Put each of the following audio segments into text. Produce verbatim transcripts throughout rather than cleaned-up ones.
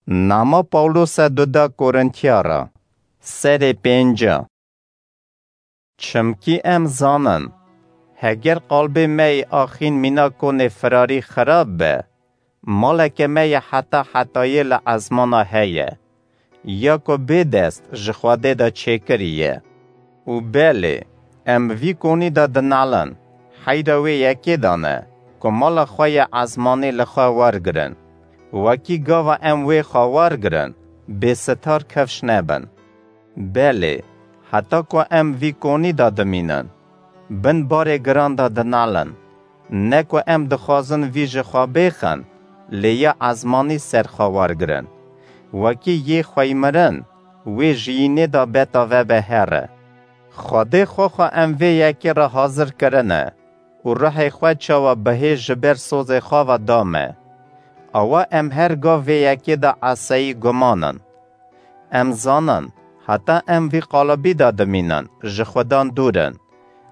Nama Pawlose duda Korintiyara, serê pênca. Çimkî em zanin, heger qalbê me yê axîn mîna konê firarî xirab be, maleke me yê heta hetayê li ezmana heye, ya ku bê dest ji Xwedê de çêkirî ye. Û belê, em vî konî de dinalin, heyra wê yekê de ne, ku mala xwe yê ezmanî li xwe wergirin. Wekî gava em wê xwe wergirin, bêsitar kifş nebin. Belê, heta ku em vî konî de dimînin, bin barê giran de dinalin, ne ku em dixwazin vî ji xwe bêxin, lê ya ezmanî ser xwe wergirin. Wekî yê xweymirin, wê jiyînê de beta vebe here. Xwedê xwe xwe em vê yekê re hazir kirine û ruhê xwe çawa bihê ji ber sozê xwe ve da me. Awa em her gav vê yekê de eseyî guman in. Em zanin, heta em vî qalibî de dimînin, ji Xudan dûr in.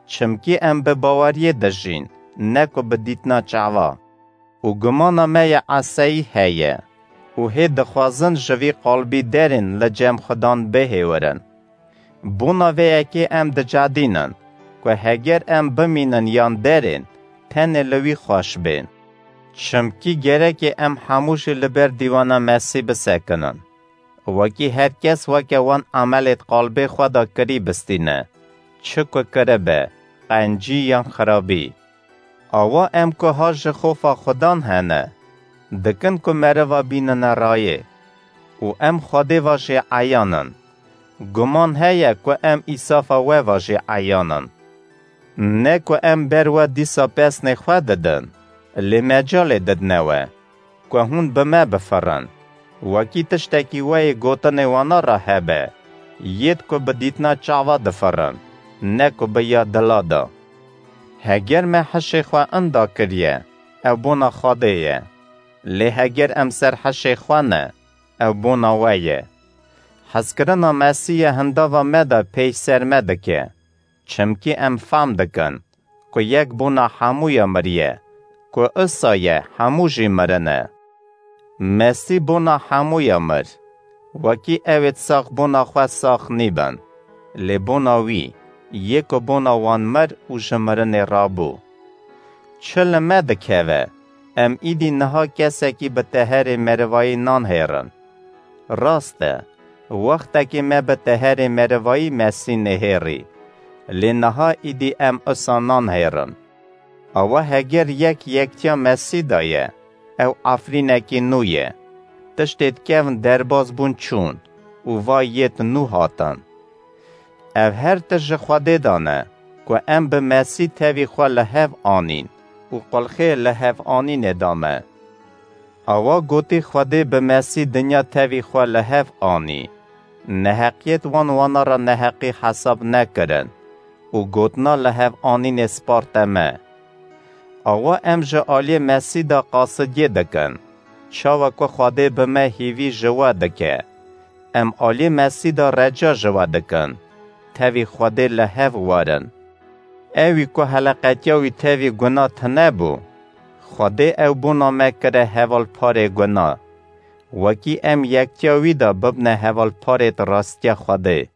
Çimkî em bi baweriyê dijîn, ne ku bi dîtina çava. Û gumana me ya eseyî heye. Û hê dixwazin ji vî qalbî derên li cem Xudan bihêwirin. Bona vê yekê em dicedînin, ku heger em bimînin yan derên, tenê li wî xweş bên. Çimkî gerekê em hemû jî li ber dîwana Mesî bisekinin. Wekî her kes weke wan emelêd qalbê xwe de kirî bistîne, çi ku kiribe, qencî yan xirabî. Awa em ku ha ji xofa Xudan hene, dikin ku meriva bînine rayê. Û em Xwedê va jê eyan in. Guman heye ku em îsafa we va jê eyan in. Ne ku em ber we dîsa pesnê xwe didin, lê mecalê didine we, ku hûn bi me bifirin. Wekî tiştekî we yê gotinê wana re hebe, yêd ku bi dîtina çava difirin, ne ku bi ya dila de. Heger me hişê xwe inda kiriye, ew bona Xwedê ye. Lê heger em ser hişê xwe ne, ew bona we ye. Hezkirina Mesî ye hindava me de pêy ser me dike. Çimkî em fam dikin, ku yek bona hemûya miriye, ku isa ye hemû jî mirine. Mesî bona hemûya mir. Wekî ewêd sax bona xwe sax nîbin, lê bona wî, yê ku bona wan mir û ji mirinê rabû. Çi li me dikeve, em îdî niha kesekî bi teherê merivayî nan hêrin. Rast e, wextekê me bi teherê merivayî Mesî nehêrî, lê niha îdî em usa nan hêrin. Awa heger yek yektiya Mesî de ye, ew efrînekî nû ye. Tiştêd kevn derbas bûn çûn û va yêd nû hatin. Ev her tişt ji Xwedê de ne, ku em bi Mesî tevî xwe li hev anîn û qulxê li hev anînê da me. Awa gotî Xwedê bi Mesî dinya tevî xwe li hev anî. Neheqiyêt wan wana re neheqî hesab nekirin û gotina li hev anînê sparte me. Awa em ji aliyê Mesî de qasidiyê dikin, çawa ku Xwedê bi me hîvî ji we dike. Em aliyê Mesî de reca ji we dikin, tevî Xwedê li hev werin. Ewî ku heleqetiya wî tevî guna tine bû, Xwedê ew bona me kire hevalparê guna, wekî em yektiya wî de bibne hevalparêd rastiya Xwedê.